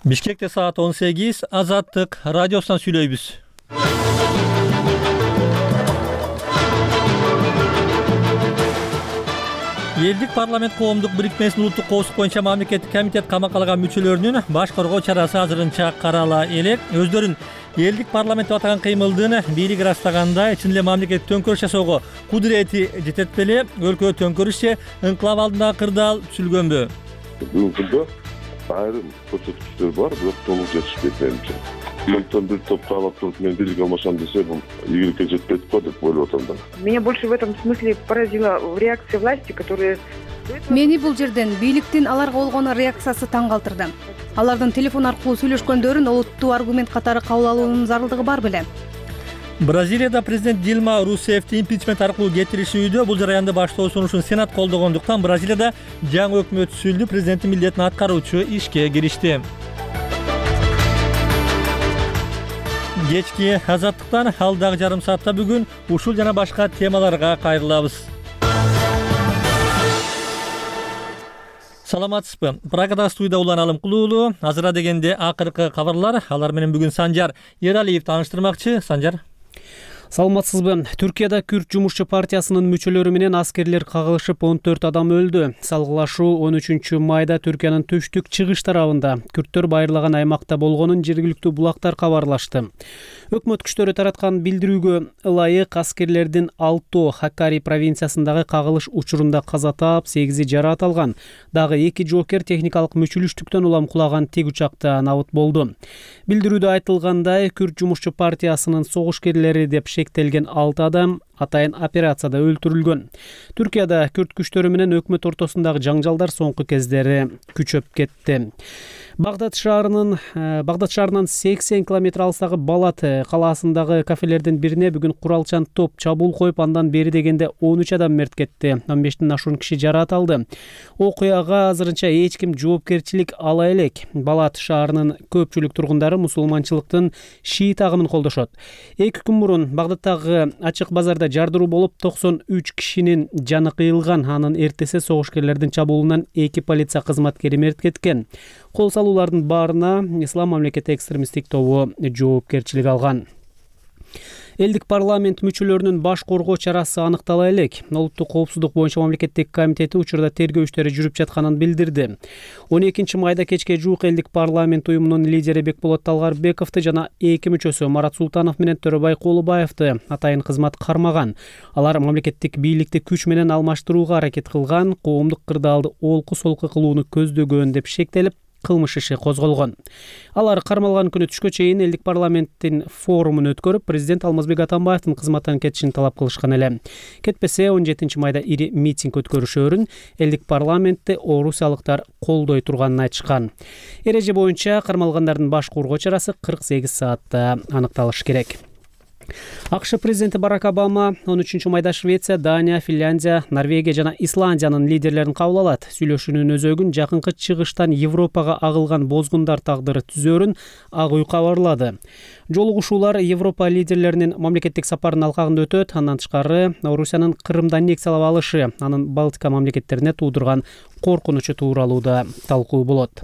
Бишкекте саат 18, Азаттык радиосунан сүйлөйбүз. Элдик парламент коомдук бирикмесинин улуттук коопсуздук боюнча мамлекеттик комитет камакка алган мүчөлөрүнүн баш коргоо чарасы азырынча карала элек. Өздөрүн элдик парламент деп атаган кыймылдын бийлиги ырастаганда чын эле мамлекет төңкөрүш жасоого кудурети жетет беле? Өлкө төңкөрүшчү инкылап алдындагы кырдаал түзүлгөнбү? Бүгүнкү күндө айрым көрсөткүчтөр бар, бирок толук жетишпейт менимче. Өлкөдөн бир топ каалап туруп мен бийлик алмашам десе, бул ийгиликке жетпейт го деп ойлоп атам да. Меня больше в этом смысле поразила реакция власти, которые... Мени бул жерден бийликтин аларга болгон реакциясы таң калтырды. Алардын телефон аркылуу сүйлөшкөндөрүн олуттуу аргумент катары кабыл алуунун зарылдыгы бар беле? Бразилияда президент Дилма Русефти импичмент аркылуу кетиришүүдө бул жараянды баштоо сунушун Сенат колдогондуктан Бразилияда жаңы өкмөт түзүлдү, президенттин милдетин аткаруучу ишке киришти. Кечки Азаттыктан алдагы жарым саатта бүгүн ушул жана башка темаларга кайрылабыз. Саламатсызбы? Прагада студияда Улан Алымкулуулу. Азыра дегенде акыркы кабарлар. Алар менен бүгүн Санжар Эралиев тааныштырмакчы. Санжар. Саламатсызбы? Түркияда Күрд жумушчу партиясынын мүчөлөрү менен аскерлер кагылышып 14 адам өлдү. Салгылашуу 13 майда Түркиянын түштүк чыгыш тарабында күрттөр байырлаган аймакта болгонун жергиликтүү булактар кабарлашты. Өкмөт күчтөрү тараткан билдирүүгө ылайык аскерлердин 6 Хакари провинциясындагы кагылыш учурунда каза таап, 8 жараат алган. Дагы 2 жоокер техникалык мүчүлүштүктөн улам кулаган тик учакта набыт болду. Билдирүүдө айтылгандай, Күрд жумушчу партиясынын согушкерлери деп шектелген 6 адам атайын операцияда өлтүрүлгөн. Түркияда күрд күчтөрү менен өкмөт ортосундагы жаңжалдар соңку кездери күчөп кетти. Багдад шаарынан 80 километр алыстагы Балат калаасындагы кафелердин бирине бүгүн куралчан топ чабуул коюп, андан бери дегенде 13 адам мерт кетти. 15тен ашуун киши жараат алды. Окуяга азырынча эч ким жоопкерчилик ала элек. Балат шаарынын көпчүлүк тургундары мусулманчылыктын шиит агымын колдошот. 2 күн мурун Багдадтагы ачык базарда жардыруу болуп 93 кишинин жаны кыйылган. Анын эртеси согушкерлердин чабуулунан 2 полиция кызматкери мерт кеткен. Кол салуулардын баарына Ислам мамлекети экстремисттик тобу жоопкерчилик алган. Элдик парламент мүчөлөрүнүн баш коргоо чарасы аныктала элек. Улуттук коопсуздук боюнча мамлекеттик комитети учурда тергөө иштери жүрүп жатканын билдирди. 12 майда кечке жуук элдик парламент уюмунун лидери Бекболот Талгарбековду жана 2 мүчөсү Марат Султанов менен Төрөбай Колубаевди атайын кызмат кармаган. Алар мамлекеттик бийликти күч менен алмаштырууга аракет кылган, коомдук кырдаалды олку-солку кылууну көздөгөн деп шектелип, кылмыш иши козголгон. Алар кармалган күнү түшкө чейин элдик парламенттин форумун өткөрүп, президент Алмазбек Атамбаевдин кызматтан кетишин талап кылышкан эле. Кетпесе 17 майда ири митинг өткөрүшөрүн элдик парламентти орусиялыктар колдой турганын айтышкан. Эреже боюнча кармалгандардын баш коргоо чарасы 48 саатта аныкталышы керек. АКШ президенти Барак Обама 13 майда Швеция, Дания, Финляндия, Норвегия жана Исландиянын лидерлерин кабыл алат. Сүйлөшүүнүн өзөгүн жакынкы чыгыштан Европага агылган бозгундар тагдыры түзөрүн Ак үй кабарлады. Жолугушуулар Европа лидерлеринин мамлекеттик сапарынын алкагында өтөт. Андан тышкары Орусиянын Крымды аннексиялап алышы, анын Балтика мамлекеттерине туудурган коркунучу тууралуу да талкуу болот.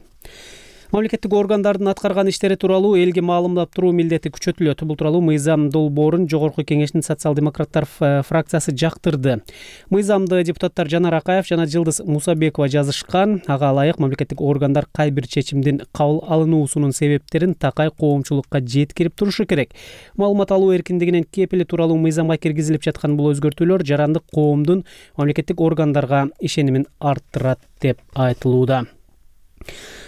Мамлекеттик органдардын аткарган иштери тууралуу элге маалымдап туруу милдети күчөтүлөт. Бул тууралуу Мыйзам долбоорун Жогорку Кеңештин социал-демократтар фракциясы жактырды. Мыйзамды депутаттар Жанар Акаев жана Жылдыз Мусабекова жазышкан. Ага ылайык мамлекеттик органдар кай бир чечимдин кабыл алынуусунун себептерин такай коомчулукка жеткирип турушу керек. Маалымат алуу эркиндигинин кепили тууралуу мыйзамга киргизилип жаткан бул өзгөртүүлөр жарандык коомдун мамлекеттик органдарга ишенимин арттырат деп айтылууда.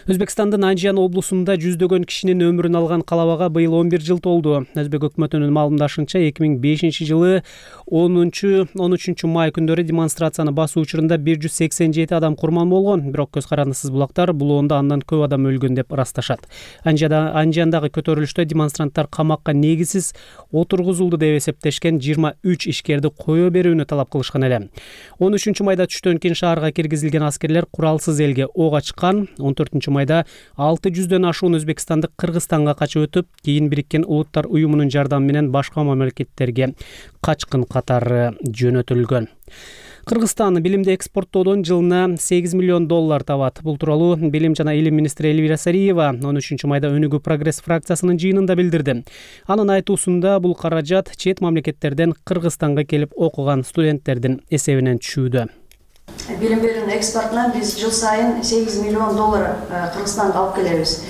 Өзбекстандын Анжан облусунда жүздөгөн кишинин өмүрүн алган калабага быйыл 11 жыл толду. Өзбек өкмөтүнүн маалымдашынча 2005 жылы 10-13 май күндөрү демонстрацияны басуу учурунда 187 адам курман болгон. Бирок көз карандысыз булактар булоонда андан көп адам өлгөн деп ырасташат. Анжандагы көтөрүлүштө демонстранттар камакка негизсиз отургузулду деп эсептешкен 23 ишкерди кое берүүнү талап кылышкан эле. 13 майда түштөн кийин шаарга киргизилген аскерлер куралсыз элге ок ачкан. 14 майда 600дөн ашуун Өзбекстандык Кыргызстанга качып өтүп, кийин Бириккен Улуттар уюмунун жардамы менен башка мамлекеттерге качкын катары жөнөтүлгөн. Кыргызстан билимди экспорттоодон жылына $8 миллион табат. Бул тууралуу Билим жана илим министри Элвира Сариева 13 майда Өнүгүү прогресс фракциясынын жыйынында билдирди. Анын айтуусунда бул каражат чет мамлекеттерден Кыргызстанга келип окуган студенттердин эсебинен түшүүдө. Билим берүүнүн экспортуна биз жыл сайын $8 миллион Кыргызстанга алып келебиз.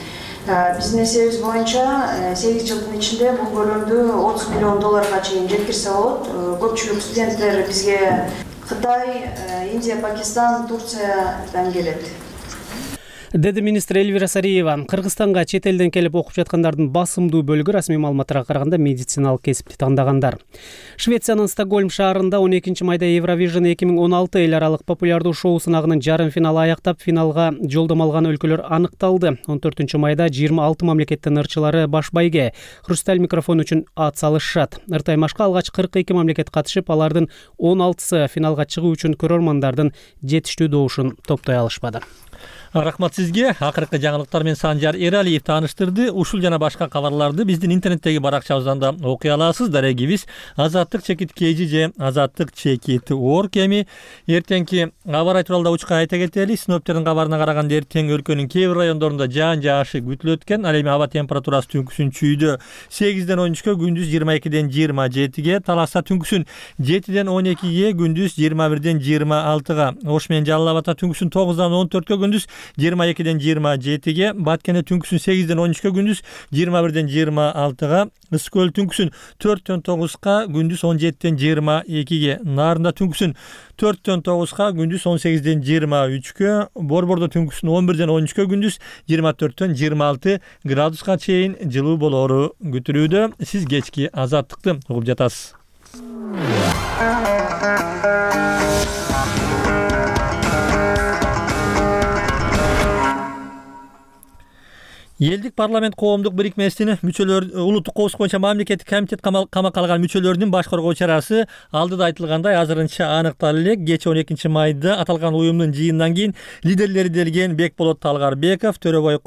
Биздин эсебибиз боюнча 8 жылдын ичинде бул көлөмдү $30 миллионга чейин жеткирсе болот. Көпчүлүк студенттер бизге Кытай, Индия, Пакистан, Турциядан келет. Деди министр Элвира Сариева. Кыргызстанга чет элден келип окуп жаткандардын басымдуу бөлүгү расмий маалыматтарга караганда медициналык кесипти таңдагандар. Швециянын Стокгольм шаарында 12 майда Евровижн 2016 эл аралык популярдуу шоу сынагынын жарым финалы аяктап, финалга жолдомо алган өлкөлөр аныкталды. 14 майда 26 мамлекеттин ырчылары баш байге хрусталь микрофон үчүн ат салышат. Ыртаймашка алгач 42 мамлекет катышып, алардын 16сы финалга чыгуу үчүн көрөрмандардын жетиштүү добушун топтой алышпады. Рахмат сизге. Акыркы жаңылыктар менен Санжар Эралиев тааныштырды. Ушул жана башка кабарларды биздин интернеттеги баракчабыздан да окуй аласыз. Дарегибиз Азаттык чекит kg же Азаттык чекит org. Эми эртеңки аба ырайы тууралуу учка айта кетели. Синоптиктердин кабарына караганда эртең өлкөнүн кээ бир райондорунда жаан жаашы күтүлөт экен. Ал эми аба температурасы түнкүсүн чүйдө 8ден 13-кө, күндүз 22ден 27-ге, Таласта түнкүсүн 7ден 12-ге, күндүз 21ден 26-га, Ош менен Жалал Абадта түнкүсүн 9дан 14-кө, күндүз 22ден 27-ге, Баткенде түнкүсүн 8ден 13-кө, күндүз 21ден 26-га, Ысык көл түнкүсүн 4дөн 9-га, күндүз 17ден 22-ге, Нарында түнкүсүн 4дөн 9-га, күндүз 18ден 23-кө, Борбордо түнкүсүн 11ден 13-кө, күндүз 24дөн 26 градуска чейин жылуу болоору күтүлүүдө. Сиз кечки Азаттыкты угуп жатасыз. Элдик парламент коомдук бирикмесинин мүчөлөр улуттук коопсуздук боюнча мамлекеттик комитет камакка алган мүчөлөрүнүн баш коргоо чарасы алдыда айтылгандай азырынча аныкталып элек. Кечээ 12 майда аталган уюмдун жыйынынан кийин лидерлери делген Бекболот Талгарбеков, Төрөбай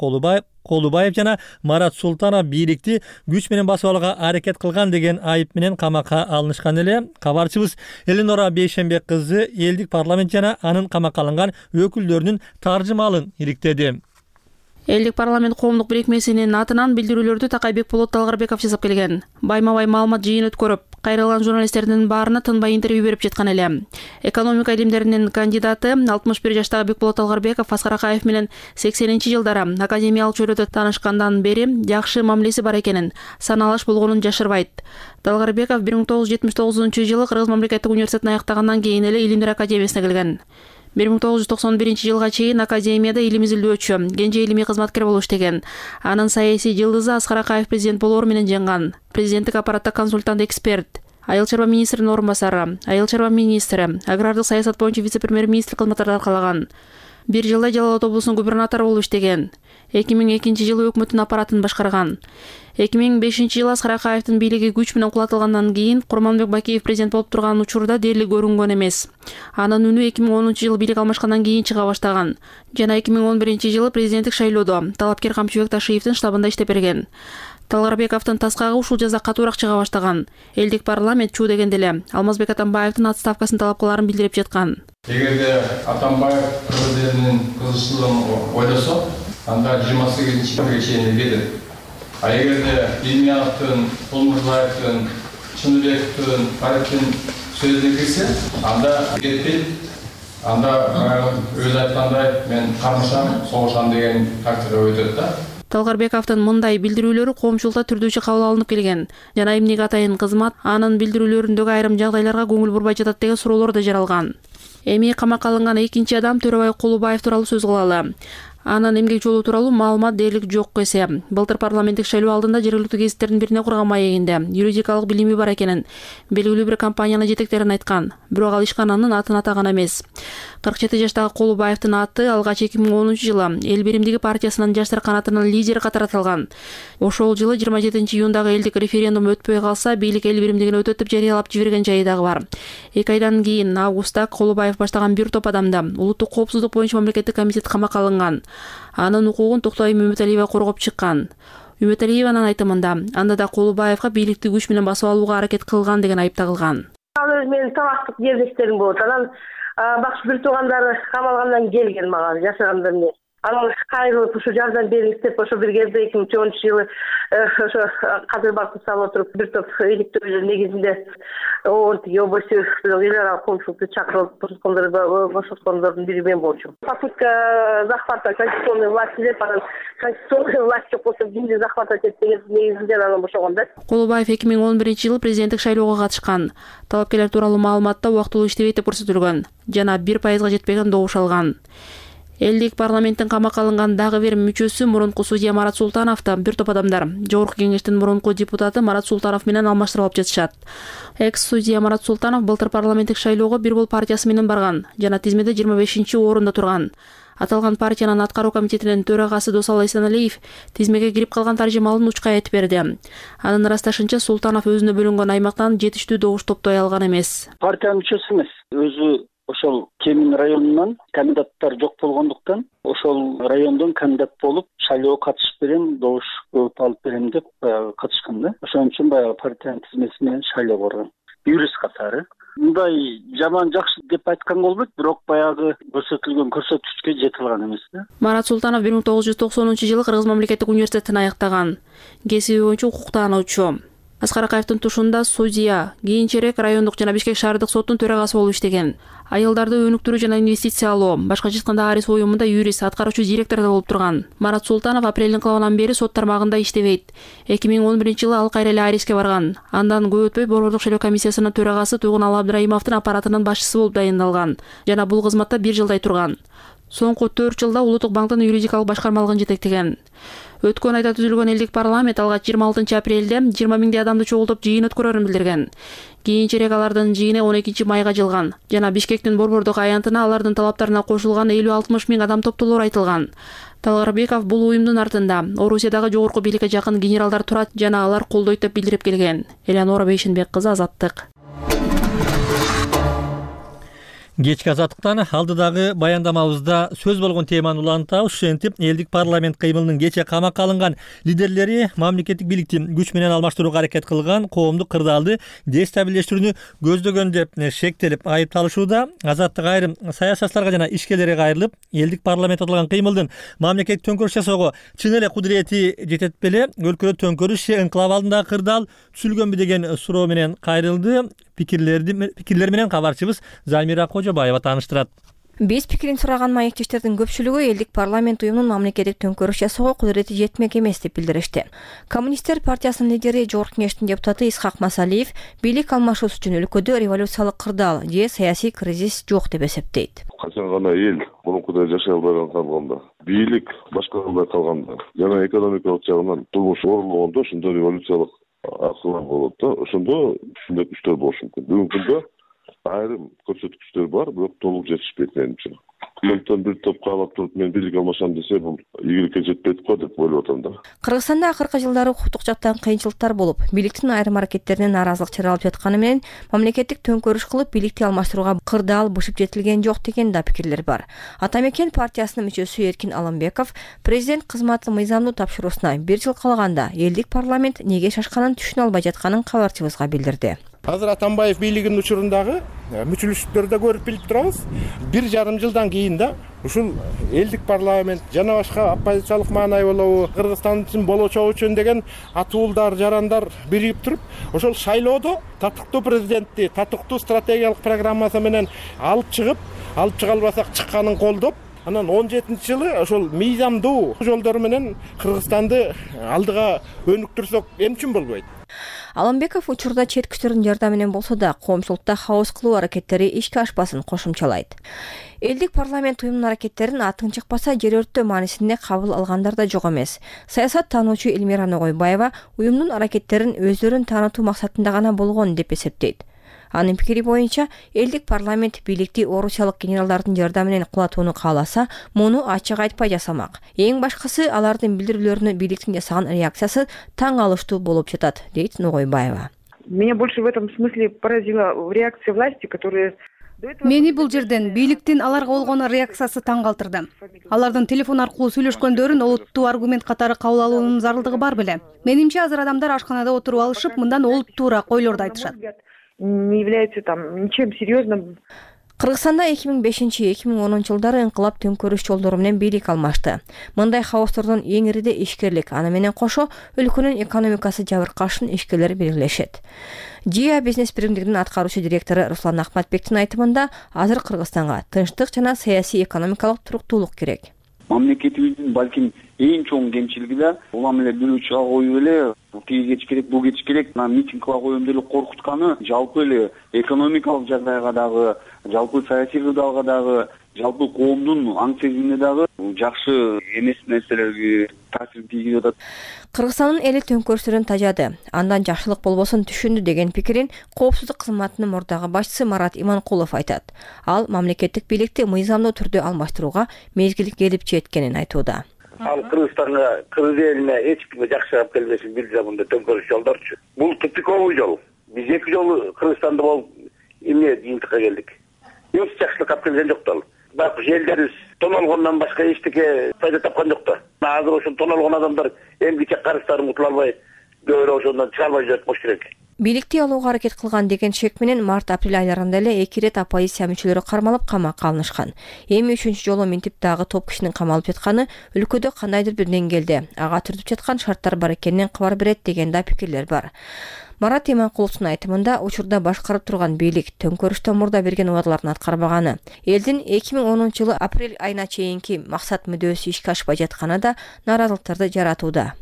Колубаев жана Марат Султанов бийликти күч менен басып алууга аракет кылган деген айып менен камакка алынышкан эле. Кабарчыбыз Эленора Бейшембек кызы элдик парламент жана анын камакка алынган өкүлдөрүнүн таржымалын иликтеди. Элдик парламент коомдук бирикмесинин атынан билдирүүлөрдү Такай Бекболот Талгарбеков жасап келген. Байма-бай маалымат жыйын өткөрүп, кайрылган журналисттердин баарына тынбай интервью берип жаткан эле. Экономика илимдеринин кандидаты 61 жаштагы Бекболот Талгарбеков Аскар Акаев менен 80-жылдары академиялык чөйрөдө таанышкандан бери жакшы мамилеси бар экенин, саналаш болгонун жашырбайт. Талгарбеков 1979-жылы Кыргыз мамлекеттик университетин аяктагандан кийин эле Илимдер академиясына келген. 1991-жылга чейин академияда илим изилдөөчү, кенже илимий кызматкер болуп иштеген. Анын саясий жылдызы Аскар Акаев президент болоор менен жанган. Президенттик аппаратта консультант эксперт, айыл чарба министринин орун басары, айыл чарба министри, агрардык саясат боюнча вице-премьер-министр кызматтарды аркалаган. Бир жылда Жалал Абад облусунун губернатору болуп иштеген. 2002-жылы өкмөттүн аппаратын башкарган. 2005-жылы Аскар Акаевдин бийлиги күч менен кулатылгандан кийин Курманбек Бакиев президент болуп турган учурда дээрлик көрүнгөн эмес. Анын үнү 2010-жылы бийлик алмашкандан кийин чыга баштаган. Жана 2011-жылы президенттик шайлоодо талапкер Камчыбек Ташиевдин штабында иштеп берген. Талгарбековдун таскагы ушул жаза катуураак чыга баштаган. Элдик парламент чуу дегенде эле Алмазбек Атамбаевдин отставкасын талап кыларын билдирип жаткан. Эгерде Атамбаев кыргыз элинин кызыкчылыгын ойлосо, анда 28-жылга чейин кетет. А эгерде Илмияновдун, Кулмурзаевдин, Чыныбековдун, Фариттин сөзүнө кирсе, анда кетпейт. Анда өзү айткандай мен кармышам, согушам деген тактика өтөт да. Талгарбековдун мындай билдирүүлөрү коомчулукта түрдүүчү кабыл алынып келген. Жана эмнеге атайын кызмат анын билдирүүлөрүндөгү айрым жагдайларга көңүл бурбай жатат деген суроолор да жаралган. Эми камакка алынган экинчи адам Төрөбай Колубаев тууралуу сөз кылалы. Анын эмгек жолу тууралуу маалымат дээрлик жок эсе. Былтыр парламенттик шайлоо алдында жергиликтүү гезиттердин бирине курган маегинде юридикалык билими бар экенин, белгилүү бир компаниянын жетектерин айткан. Бирок ал ишкананын атын атаган эмес. 47 жаштагы Колубаевдин аты алгач 2010-жылы Эл биримдиги партиясынын жаштар канатынын лидери катары аталган. Ошол жылы 27-июндагы элдик референдум өтпөй калса, бийлик эл биримдигин өтөт деп жарыялап жиберген жайы дагы бар. 2 айдан кийин августта Колубаев баштаган бир топ адамда улуттук коопсуздук боюнча мамлекеттик комитет камакка алынган. Анын укугун Токтой Үмүталиева коргоп чыккан. Үмүталиеванын айтымында, анда да Колубаевга бийликти күч менен басып алууга аракет кылган деген айып тагылган. Ал өзү менин талаштык жерлештерим болот. Анан бакш бир туугандары камалгандан келген мага жашаганда эмне. Анан кайрылып ушу жардам бериңиз деп ошо бир кезде 2013-жылы ошо кадыр бакты салып отуруп бир топ иликтөөлөр негизинде область эл аралык коомчулукту чакырып бошоткондордун бири мен болчумун. Попытка захвата конституционной власти деп анан конституционный власть жок болсо кимди захватывать этет деген негизинде анан бошогон да. Кулубаев 2011-жылы президенттик шайлоого катышкан. Талапкерлер тууралуу маалыматта убактылуу иштебейт деп көрсөтүлгөн жана 1%га жетпеген добуш алган. Элдик парламенттин камакка алынган дагы бир мүчөсү мурунку судья Марат Султанов да бир топ адамдар Жогорку кеңештин мурунку депутаты Марат Султанов менен алмаштырылып жатышат. Экс-судья Марат Султанов былтыр парламенттик шайлоого Бир Бол партиясы менен барган жана тизмеде 25-орунда турган. Аталган партиянын аткаруу комитетинин төрагасы Досалы Эсеналиев тизмеге кирип калган таржымалын учкай айтып берди. Анын ырасташынча Султанов өзүнө бөлүнгөн аймактан жетиштүү добуш топтой алган эмес. Партиянын мүчөсү эмес, өзү ошол Кемин районунан кандидаттар жок болгондуктан ошол райондон кандидат болуп шайлоого катышып берем, добуш көп алып берем деп катышкан да. Ошон үчүн баягы партиянын тизмеси менен шайлоого барган. Юрист катары. Мындай жаман жакшы деп айтканга болбойт, бирок баягы көрсөтүлгөн көрсөткүчкө жете алган эмес да. Марат Султанов 1990-жылы Кыргыз мамлекеттик университетин аяктаган. Кесиби боюнча укуктануучу. Аскар Акаевдин тушунда судья, кийинчерээк райондук жана Бишкек шаардык соттун төрагасы болуп иштеген. Айылдарды өнүктүрүү жана инвестициялоо, башкача айтканда Арис уюмунда юрист, аткаруучу директор да болуп турган. Марат Султанов апрелдин кылабынан бери сот тармагында иштебейт. 2011-жылы ал кайра эле Ариске барган. Андан көп өтпөй Борбордук шайлоо комиссиясынын төрагасы Туйгуналы Абдрайымовдун аппаратынын башчысы болуп дайындалган жана бул кызматта 1 жылдай турган. Соңку 4 жылда Улуттук банктын юридикалык башкармалыгын жетектеген. Өткөн айда түзүлгөн элдик парламент алгач 26-апрелде 20 миңдей адамды чогултуп жыйын өткөрөрүн билдирген. Кийинчерээк алардын жыйыны 12-майга жылган жана Бишкектин борбордук аянтына алардын талаптарына кошулган 50-60 миң адам топтолор айтылган. Талгарбеков бул уюмдун артында Орусиядагы жогорку бийликке жакын генералдар турат жана алар колдойт деп билдирип келген. Элеонора Бейшенбек кызы, Азаттык. Кечки Азаттыктан алдыдагы баяндамабызда сөз болгон теманы улантабыз. Ушинтип элдик парламент кыймылынын кече камакка алынган лидерлери мамлекеттик бийликти күч менен алмаштырууга аракет кылган, коомдук кырдаалды дестабилдештирүүнү көздөгөн деп шектелип айыпталышууда. Азаттык айрым саясатчыларга жана ишкерлерге кайрылып, элдик парламент аталган кыймылдын мамлекеттик төңкөрүш жасоого чын эле кудурети жетет беле, өлкөдө төңкөрүш энклав алдындагы кырдаал түзүлгөнбү деген суроо менен кайрылды. Пикирлер менен кабарчыбыз Замира Кожобаева тааныштырат. Биз пикирин сураган маектештердин көпчүлүгү элдик парламент уюмунун мамлекеттик төңкөрүш жасоого кудурети жетмек эмес деп билдиришти. Коммунисттер партиясынын лидери Жогорку кеңештин депутаты Исхак Масалиев бийлик алмашуусу үчүн өлкөдө революциялык кырдаал же саясий кризис жок деп эсептейт. Качан гана эл мурункудай жашай албай калганда, бийлик башкара албай калганда жана экономикалык жагынан турмуш оорлогондо ошондо революциялык акылар болот да. Ошондо ушундай күчтөр болушу мүмкүн. Бүгүнкү күндө айрым көрсөткүчтөр бар, бирок толук жетишпейт менимче. Үкмөттөн бир топ каалап туруп мен бийлик алмашам десе, бул ийгиликке жетпейт го деп ойлоп атам да. Кыргызстанда акыркы жылдары укуктук жактан кыйынчылыктар болуп, бийликтин айрым аракеттерине нааразылык чаралып жатканы менен мамлекеттик төңкөрүш кылып бийликти алмаштырууга кырдаал бышып жетилген жок деген да пикирлер бар. Ата Мекен партиясынын мүчөсү Эркин Алымбеков президент кызматы мыйзамдуу тапшыруусуна 1 жыл калганда элдик парламент неге шашканын түшүнө албай жатканын кабарчыбызга билдирди. Азыр Атамбаев бийлигинин учурундагы мүчүлүштүктөрдө көрүп билип турабыз. 1,5 жылдан кийин да ушул элдик парламент жана башка оппозициялык маанай болобу, Кыргызстан үчүн болочок үчүн деген атуулдар, жарандар бирип туруп, ошол шайлоодо татыктуу президентти, татыктуу стратегиялык программасы менен алып чыга албасак чыкканын колдоп, анан 17-жылы ошол мыйзамдуу жолдор менен Кыргызстанды алдыга өнүктүрсөк эмчүн болбойт. Алымбеков учурда чет күчтөрдүн жардамы менен болсо да коомчулукта хаос кылуу аракеттери ишке ашпасын кошумчалайт. Элдик парламент уюмунун аракеттерин атын чыкпаса жер өрттөө маанисинде кабыл алгандар да жок эмес. Саясат таануучу Элмира Ногойбаева уюмдун аракеттерин өздөрүн таанытуу максатында гана болгон деп эсептейт. Анын пикири боюнча элдик парламент бийликти орусиялык генералдардын жардамы менен кулатууну кааласа, муну ачык айтпай жасамак. Эң башкысы алардын билдирүүлөрүнө бийликтин жасаган реакциясы таң алыштуу болуп жатат, дейт Ногойбаева. Меня больше в этом смысле поразила реакция власти, которая Мени бул жерден бийликтин аларга болгон реакциясы таң калтырды. Алардын телефон аркылуу сүйлөшкөндөрүн олуттуу аргумент катары кабыл алуунун зарылдыгы бар беле. Менимче азыр адамдар ашканада отуруп алышып, мындан олуттуураак ойлорду айтышат. Не является там ничем серьезным. Кыргызстанда 2005-2010 жылдары инкылап төңкөрүш жолдору менен бийлик алмашты. Мындай хаостордун эң ириде ишкерлик, аны менен кошо өлкөнүн экономикасы жабыркашын ишкерлер белгилешет. ЖИА бизнес биримдигинин аткаруучу директору Руслан Ахматбектин айтымында, азыр Кыргызстанга тынчтык жана саясий экономикалык туруктуулук керек. Мамлекетибиздин балким эң чоң кемчилиги да улам эле бирөө чыга коюп эле тиги кетиш керек, бул кетиш керек, митинг кыла коем деп эле коркутканы жалпы эле экономикалык жагдайга дагы, жалпы саясий кырдаалга дагы, жалпы коомдун аң сезимине дагы жакшы эмес нерселерге таасир тийгизип атат. Кыргызстандын эли төңкөрүштөрдөн тажады, андан жакшылык болбосун түшүндү деген пикирин Коопсуздук кызматынын мурдагы башчысы Марат Иманкулов айтат. Ал мамлекеттик бийликти мыйзамдуу түрдө алмаштырууга мезгил келип жеткенин айтууда. Ал Кыргызстанга, Кыргыз элине эч кимге жакшы алып келбесин билдирет мындай төңкөрүш жолдорчу. Бул тупиковый жол. Биз 2 жолу Кыргызстанда болуп эмне жыйынтыкка келдик. Эч жакшылык алып келген жок да. Бак элдерибиз тон алгондон башка эчтеке пайда тапкан жок да. Азыр ошол тон алгон адамдар эмгиче карыздарын утула албай, көбүрөөк ошондон чыга албай жүрөт болуш керек. Бийликти алууга аракет кылган деген шек менен март-апрель айларында эле 2 ирет оппозиция мүчөлөрү кармалып камакка алынышкан. Эми 3-чү жолу минтип дагы топ кишинин камалып жатканы өлкөдө кандайдыр бир деңгээлде ага түртүп жаткан шарттар бар экенинен кабар берет деген да пикирлер бар. Марат Иманкуловдун айтымында, учурда башкарып турган бийлик төңкөрүштөн мурда берген убадаларын аткарбаганы, элдин 2010 жылы апрель айына чейинки максат мүдөөсү ишке ашпай жатканы да нааразылыктарды жаратууда.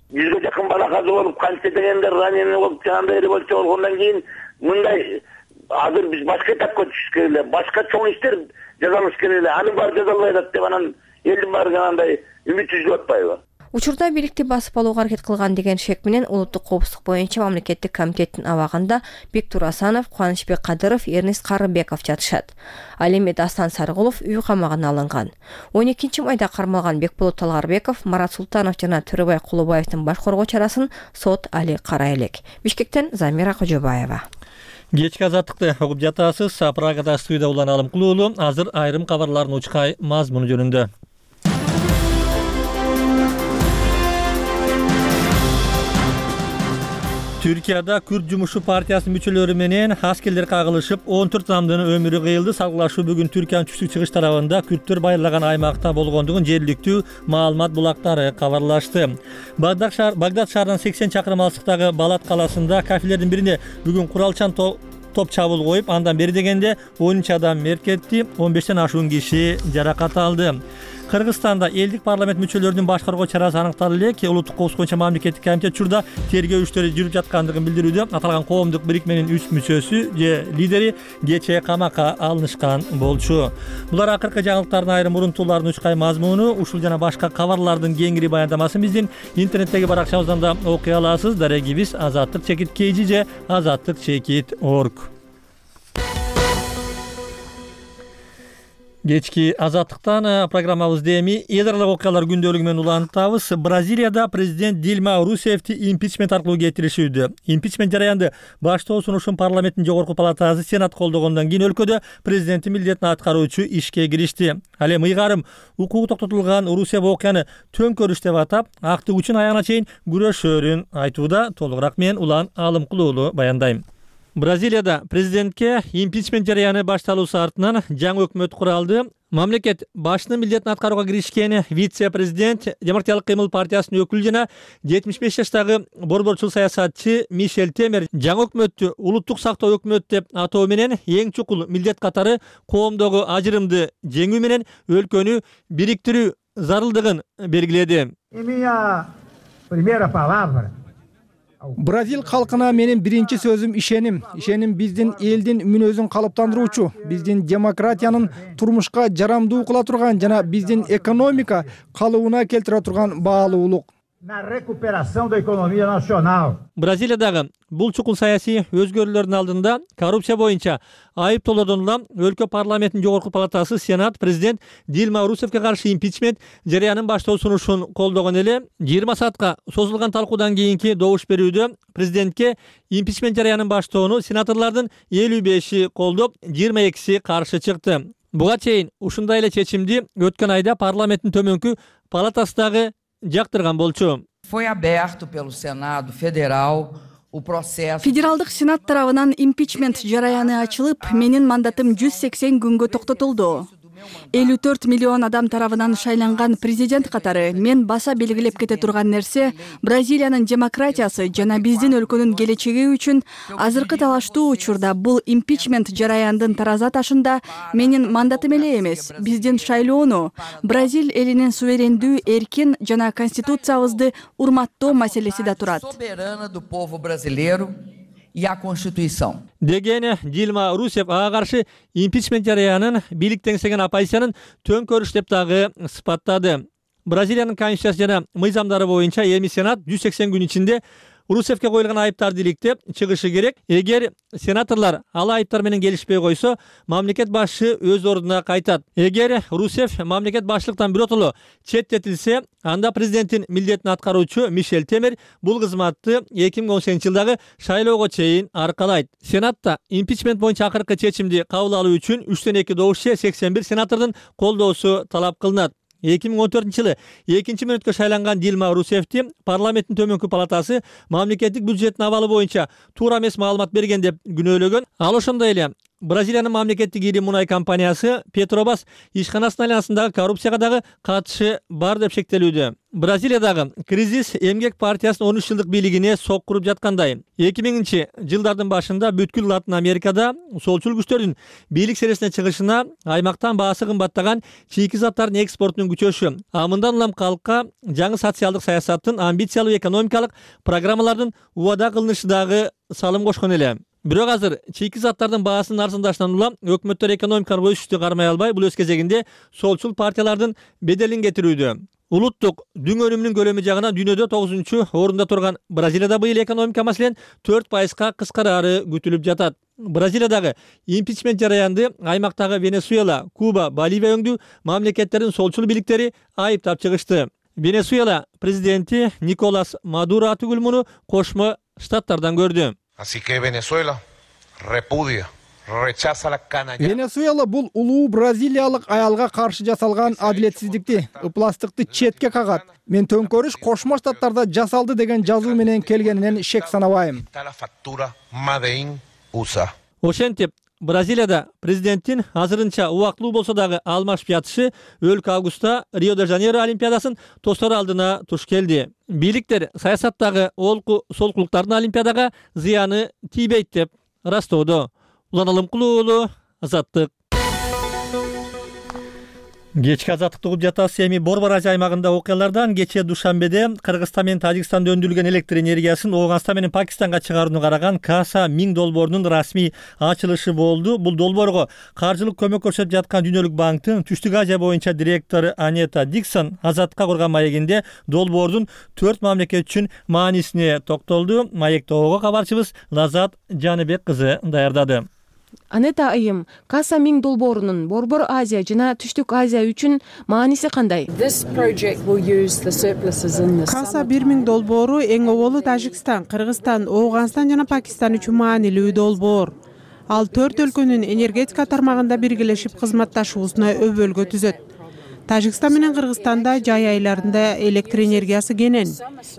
Бизге жакын балаказы болуп, канча дегендер раненый болуп, жандай революция болгондон кийин мындай азыр биз башка этапка түшүш керек эле, башка чоң иштер жасалыш керек эле. Анын баары жасалбай атат деп анан элдин баары жанагындай үмүт үзүп атпайбы? Учурда бийликти басып алууга аракет кылган деген шек менен улуттук коопсуздук боюнча мамлекеттик комитеттин абагында Бектур Асанов, Кубанычбек Кадыров, Эрнест Карыбеков жатышат. Ал эми Дастан Сарыгулов үй камагына алынган. 12-майда кармалган Бекболот Талгарбеков, Марат Султанов жана Төрөбай Кулубаевдин баш коргоо чарасын сот али карай элек. Бишкектен Замира Кожобаева. Кечки азаттыкты угуп жатасыз. Прагада студияда улан Алым Кулуулу. Азыр айрым кабарлардын учкай мазмуну жөнүндө. Türkiye'de Kürt Cumhuriyeti Partiyası müçülörü menen askерler kagılışıp 14 adamdын ömürü kıyıldı. Salgılaşуу бүгүн Türkiye'nin түштүк чыгыш тарабында Kürttөр байырлаган аймакта болгондугун жергиликтүү маалымат булактары кабарлашты. Багдад шаарынан 80 чакырым алыстыктагы Балат каласында кафелердин бирине бүгүн куралчан топ чабуул коюп, андан бери дегенде 13 адам мерт кетти, 15тен ашуун киши жаракат алды. Кыргызстанда элдик парламент мүчөлөрүнүн башкаруу чарасы аныкталды элек. Улуттук коопсуздук боюнча мамлекеттик комитет учурда тергөө иштери жүрүп жаткандыгын билдирүүдө. Аталган коомдук бирикменин 3 мүчөсү же лидери кечээ камакка алынышкан болчу. Булар акыркы жаңылыктардын айрым урунтууларынын учкай мазмуну, ушул жана башка кабарлардын кеңири баяндамасын биздин интернеттеги баракчабыздан да окуй аласыз. Дарегибиз azatlyk.kg же azatlyk.org. Кечки азаттыктан программабызды эми эл аралык окуялар күндөлүгү менен улантабыз. Бразилияда президент Дильма Русефти импичмент аркылуу кетиришүүдө. Импичмент жараянды баштоо сунушун парламенттин жогорку палатасы Сенат колдогондон кийин өлкөдө президенттин милдетин аткаруучу ишке киришти. Ал эми ыйгарым укугу токтотулган Русеф окуяны төңкөрүш деп атап, актык үчүн аягына чейин күрөшөрүн айтууда. Толугураак мен Улан Алым Кулуулу баяндайм. Бразилияда президентке импичмент жараяны башталуусу артынан жаңы өкмөт куралды. Мамлекет башчынын милдетин аткарууга киришкен вице-президент Демократиялык кыймыл партиясынын өкүлү жана 75 жаштагы борборчул саясатчы Мишель Темер жаңы өкмөттү улуттук сактоо өкмөтү деп атоо менен эң чукул милдет катары коомдогу ажырымды жеңүү менен өлкөнү бириктирүү зарылдыгын белгиледи. Бразил халкына менин биринчи сөзүм ишеним. Ишеним биздин элдин мүнөзүн калыптандыруучу, биздин демократиянын турмушка жарамдуу кыла турган жана биздин экономика калыбына келтире турган баалуулук. Na recuperação da economia nacional. Бразилиядагы бул чукул саясий өзгөрүүлөрдүн алдында коррупция боюнча айыптоолордон улам өлкө парламентинин жогорку палатасы Сенат президент Дильма Русефке каршы импичмент жараянын баштоо сунушун колдогон эле 20 саатка созулган талкуудан кийинки добуш берүүдө президентке импичмент жараянын баштоону сенаторлордун 55и колдоп, 22си каршы чыкты. Буга чейин ушундай эле чечимди өткөн айда парламенттин төмөнкү палатасындагы жактырган болчу. Foi aberto pelo Senado Federal Федералдык Сенат тарабынан импичмент жараяны ачылып, менин мандатым 180 күнгө токтотулду. 54 миллион адам тарабынан шайланган президент катары мен баса белгилеп кете турган нерсе Бразилиянын демократиясы жана биздин өлкөнүн келечеги үчүн азыркы талаштуу учурда бул импичмент жараяндын тараза ташында менин мандатым эле эмес, биздин шайлоону, Бразил элинин суверендүү, эркин жана конституциябызды урматтоо маселеси да турат. Деген Дилма Русев ага каршы импичмент жараянын бийлик теңсеген оппозициянын төңкөрүш деп дагы сыпаттады. Бразилиянын конституциясы жана мыйзамдары боюнча эми Сенат 180 күн ичинде Русевке коюлган айыптарды иликтеп чыгышы керек. Эгер сенаторлор ал айыптар менен келишпей койсо, мамлекет башчы өз ордуна кайтат. Эгер Русев мамлекет башчылыктан биротоло четтетилсе, анда президенттин милдетин аткаруучу Мишель Темер бул кызматты 2018 жылдагы шайлоого чейин аркалайт. Сенатта импичмент боюнча акыркы чечимди кабыл алуу үчүн 3-2 добуш 81 сенатордун колдоосу талап кылынат. 2014 жылы 2-мүнөткө шайланган Дилма Русевти парламенттин төмөнкү палатасы мамлекеттик бюджеттин абалы боюнча туура эмес маалымат берген деп күнөөлөгөн. Ал ошондой эле Бразилиянын мамлекеттик ири мунай компаниясы Петробас ишканасынын айланасындагы коррупцияга дагы катышы бар деп шектелүүдө. Бразилиядагы кризис эмгек партиясынын 13 жылдык бийлигине соккуруп жаткандай. 2000 жылдардын башында бүткүл Латын Америкада солчул күчтөрдүн бийлик сересине чыгышына аймактан баасы кымбаттаган чийки заттардын экспортунун күчөшү, мындан улам калкка жаңы социалдык саясаттын амбициялуу экономикалык программалардын убада кылынышы дагы салым кошкон эле. Бирок азыр чийки заттардын баасынын арзандашынан улам өкмөттөр экономикалык өсүштү кармай албай, бул өз кезегинде солчул партиялардын беделин кетирүүдө. Улуттук дүң өнүмүнүн көлөмү жагынан дүйнөдө 9-орунда турган Бразилияда быйыл экономика маселен 4%га кыскарары күтүлүп жатат. Бразилиядагы импичмент жараянды аймактагы Венесуэла, Куба, Боливия өңдүү мамлекеттердин солчул бийликтери айыптап чыгышты. Венесуэла президенти Николас Мадуро атүгүл муну Кошмо Штаттардан көрдү. Así que Venezuela repudia, rechaza la canalladas. Венесуэла бул улуу бразилиялык аялга каршы жасалган адилетсиздикти, ыпластыкты четке кагат. Мен төңкөрүш Кошмо Штаттарда жасалды деген жазуу менен келгенинен шек санабайм. Ошентип Бразилияда президенттин азырынча убактылуу болсо дагы алмашып жатышы өлкө августта Рио-де-Жанейро олимпиадасын тостор алдына туш келди. Бийликтер саясаттагы олку солкулуктардын олимпиадага зыяны тийбейт деп ырастоодо. Улан Алымкулуу уулу, Азаттык. Кечки азаттыкты угуп жатасыз. Эми Борбор Азия аймагында окуялардан кечээ Душанбеде Кыргызстан менен Тажикстанда өндүрүлгөн электр энергиясын Ооганстан менен Пакистанга чыгарууну караган Каса Миң долбоорунун расмий ачылышы болду. Бул долбоорго каржылык көмөк көрсөтүп жаткан Дүйнөлүк банктын Түштүк Азия боюнча директору Анета Диксон Азаттыкка курган маегинде долбоордун 4 мамлекет үчүн маанисине токтолду. Маекти ого кабарчыбыз Лазат Жаныбек кызы даярдады. Анета айым, Каса Миң долбоорунун Борбор Азия жана Түштүк Азия үчүн мааниси кандай? Каса 1000 долбоору эң оболу Тажикстан, Кыргызстан, Ооганстан жана Пакистан үчүн маанилүү долбоор. Ал 4 өлкөнүн энергетика тармагында биргелешип кызматташуусуна өбөлгө түзөт. Тажикстан менен Кыргызстанда жай айларында электр энергиясы кенен.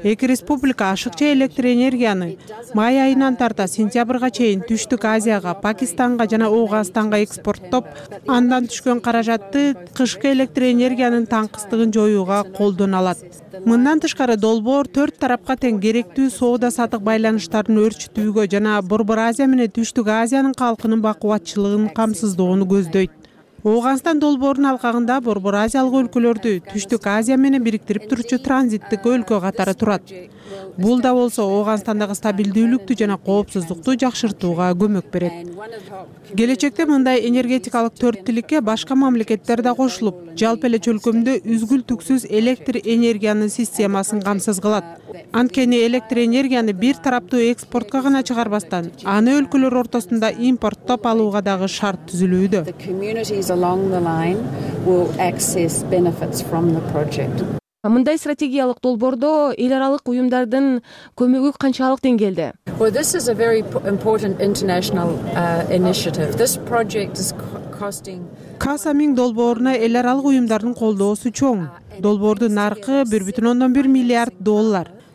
Эки республика ашыкча электр энергияны май айынан тарта сентябрга чейин Түштүк Азияга, Пакистанга жана Ооганстанга экспорттоп, андан түшкөн каражатты кышкы электр энергиянын таңкыстыгын жоюуга колдоно алат. Мындан тышкары долбоор 4 тарапка тең керектүү соода-саттык байланыштарын өрчүтүүгө жана Борбор Азия менен Түштүк Азиянын калкынын бакубатчылыгын камсыздоону көздөйт. Ооганстан долбоорунун алкагында Борбор Азиялык өлкөлөрдү Түштүк Азия менен бириктирип турчу транзиттик өлкө катары турат. Бул да болсо Ооганстандагы стабилдүүлүктү жана коопсуздукту жакшыртууга көмөк берет. Келечекте мындай энергетикалык төрттүүлүккө башка мамлекеттер да кошулуп, жалпы эле чөлкөмдө үзгүл-түксүз электр энергиянын системасын камсыз кылат. Анткени электр энергияны бир тараптуу экспортко гана чыгарбастан, аны өлкөлөр ортосунда импорттоп алууга дагы шарт түзүлүүдө. Мындай стратегиялык долбоордо эл аралык уюмдардын көмөгү канчалык деңгээлде? Каса Миң долбооруна эл аралык уюмдардын колдоосу чоң. Долбоордун наркы $1,1 миллиард.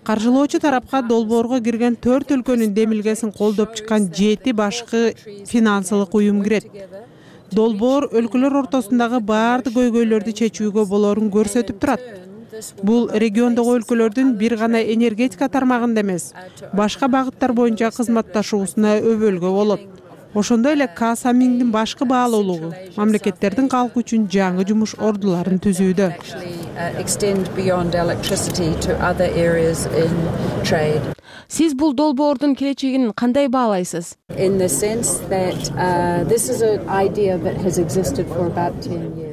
каржылоочу тарапка долбоорго кирген 4 өлкөнүн демилгесин колдоп чыккан 7 башкы финансылык уюм кирет. Долбоор өлкөлөр ортосундагы баардык көйгөйлөрдү чечүүгө болоорун көрсөтүп турат. Бул региондогу өлкөлөрдүн бир гана энергетика тармагында эмес, башка багыттар боюнча кызматташуусуна өбөлгө болот. Ошондой эле Касамиңдин башкы баалуулугу мамлекеттердин калкы үчүн жаңы жумуш ордуларын түзүүдө. Сиз бул долбоордун келечегин кандай баалайсыз?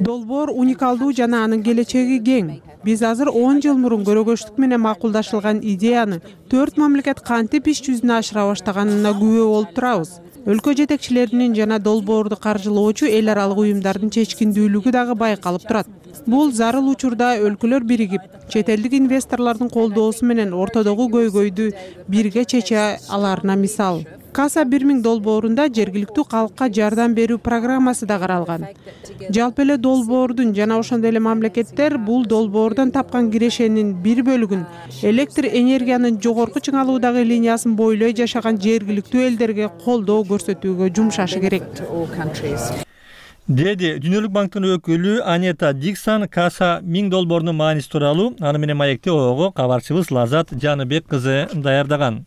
Долбоор уникалдуу жана анын келечеги кең. Биз азыр 10 жыл мурун көрөгөчтүк менен макулдашылган идеяны 4 мамлекет кантип иш жүзүнө ашыра баштаганына күбө болуп турабыз. Өлкө жетекчилеринин жана долбоорду каржылоочу эл аралык уюмдардын чечкиндүүлүгү дагы байкалып турат. Бул зарыл учурда өлкөлөр биригип, чет элдик инвесторлордун колдоосу менен ортодогу көйгөйдү бирге чече аларына мисал. Каса 1000 долбоорунда жергиликтүү калкка жардам берүү программасы да каралган. Жалпы эле долбоордун жана ошондой эле мамлекеттер бул долбоордон тапкан кирешенин бир бөлүгүн электр энергиянын жогорку чыңалуудагы линиясын бойлой жашаган жергиликтүү элдерге колдоо көрсөтүүгө жумшашы керек. Деди Дүйнөлүк банктын өкүлү Анета Диксон Каса 1000 долбоорунун мааниси тууралуу аны менен маекте ого кабарчыбыз Лазат Жаныбек кызы даярдаган.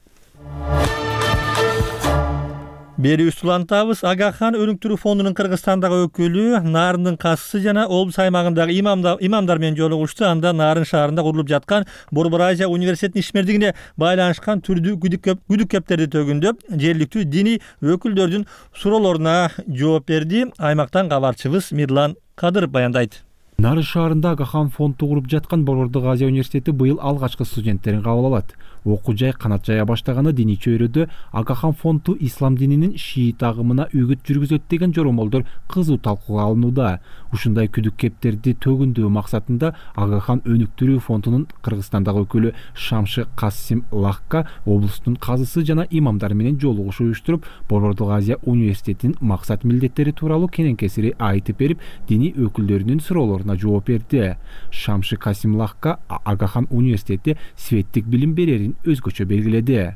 Бери устулантабыз Агахан өнүктүрүү фондунун Кыргызстандагы өкүлү Нарындын кассы жана облус аймагындагы имамдар менен жолугушту. Анда Нарын шаарында курулуп жаткан Борбор Азия университетинин ишмердигине байланышкан түрдүү күдүк кептерди төгүндөп, жергиликтүү диний өкүлдөрдүн суроолоруна жооп берди. Аймактан кабарчыбыз Мирлан Кадыров баяндайт. Нарын шаарында Агахан фонду куруп жаткан Борбордук Азия университети быйыл алгачкы студенттерин кабыл алат. Окуу жай канат жая баштаганы диний чөйрөдө Агахан фонду ислам дининин шиит агымына үгүт жүргүзөт деген жоромолдор кызуу талкууга алынууда. Ушундай күдүк кептерди төгүндөө максатында Агахан өнүктүрүү фондунун Кыргызстандагы өкүлү Шамшы Касим Лахка облустун казысы жана имамдар менен жолугуш уюштуруп, Борбордук Азия университетинин максат милдеттери тууралуу кенен-кесири айтып берип, диний өкүлдөрүнүн суроолоруна жооп берди. Шамшы Касим Лахка Агахан университетте светтик билим берерин өзгөчө белгиледи.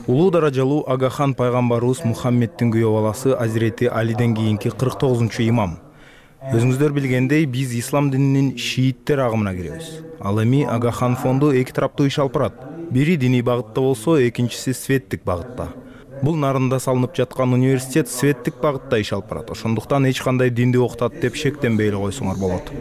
Улуу даражалуу Агахан пайгамбарыбыз Мухаммеддин күйөө баласы Азирети Алиден кийинки 49-чу имам. Өзүңүздөр билгендей, биз ислам дининин шииттер агымына киребиз. Ал эми Агахан фонду эки тараптуу иш алып барат. Бири диний багытта болсо, экинчиси светтик багытта. Бул Нарында салынып жаткан университет светтик багытта иш алып барат. Ошондуктан эч кандай динди окутат деп шектенбей эле койсоңор болот.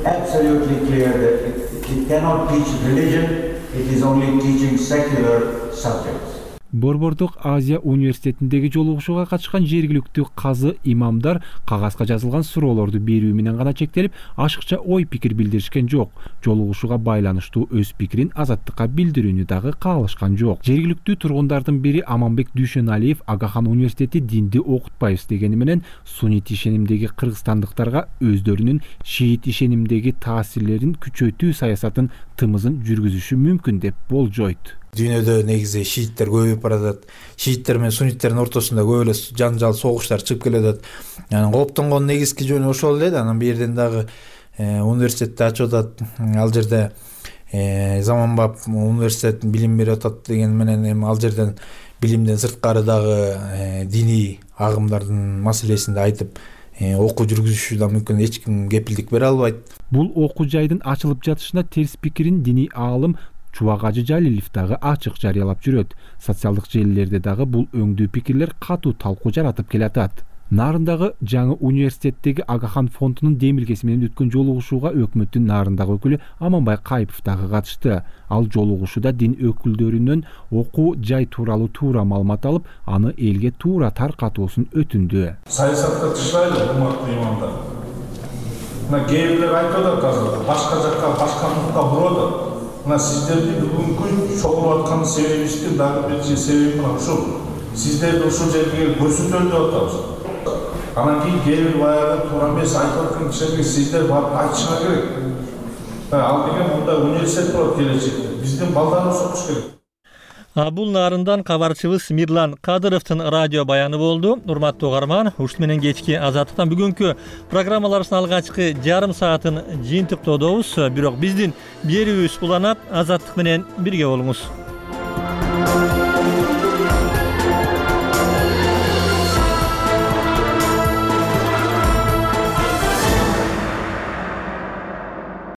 Absolutely clear that it cannot teach religion, it is only teaching secular subjects. Борбордук Азия университетиндеги жолугушууга катышкан жергиликтүү казы имамдар кагазга жазылган суроолорду берүү менен гана чектелип, ашыкча ой пикир билдиришкен жок. Жолугушууга байланыштуу өз пикирин азаттыкка билдирүүнү дагы каалашкан жок. Жергиликтүү тургундардын бири Аманбек Дүйшөналиев Агахан университети динди окутпайбыз дегени менен суннит ишенимдеги кыргызстандыктарга өздөрүнүн шиит ишенимдеги таасирлерин күчөтүү саясатын тымызын жүргүзүшү мүмкүн деп болжойт. Дүйнөдө негизи шииттер көбөйүп баратат. Шииттер менен сунниттердин ортосунда көп эле жаңжал, согуштар чыгып келатат. Кооптонгон негизги жөнү ошол эле. Анан бул жерден дагы университетти ачып атат. Ал жерде заманбап университет билим берип атат деген менен эми ал жерден билимден сырткары дагы диний агымдардын маселесин да айтып окуу жүргүзүшү да мүмкүн, эч ким кепилдик бере албайт. Бул окуу жайдын ачылып жатышына терс пикирин диний аалым Чубак Ажы Жалилов дагы ачык жарыялап жүрөт. Социалдык желилерде дагы бул өңдүү пикирлер катуу талкуу жаратып келатат. Нарындагы жаңы университеттеги Агахан фондунун демилгеси менен өткөн жолугушууга өкмөттүн Нарындагы өкүлү Аманбай Кайыпов дагы катышты. Ал жолугушууда дин өкүлдөрүнөн окуу жай тууралуу туура маалымат алып, аны элге туура таркатуусун өтүндү. Саясатка тышпайлы, урматтуу имамдар. Мына кээ бирлер айтып атат азыр, башка жакка, башка нукка бурат. Сиздерди бүгүнкү чогулуп аткан себебибиздин дагы бир себеби мына ушул. Сиздерди ушул жерге көрсөтөлү деп атабыз. Анан кийин кээ бир баягы туура эмес айтып аткан кишилерге сиздер барып айтышыңар керек. Ал деген мында университет болот келечекте. Биздин балдарыбыз окуш керек. Бул нарындан кабарчыбыз Мирлан Кадыровдун радио баяны болду. Урматтуу угарман, ушун менен кечки Азаттыктан бүгүнкү программаларыбыздын алгачкы жарым саатын жыйынтыктоодобуз. Бирок биздин берүүбүз уланат. Азаттык менен бирге болуңуз.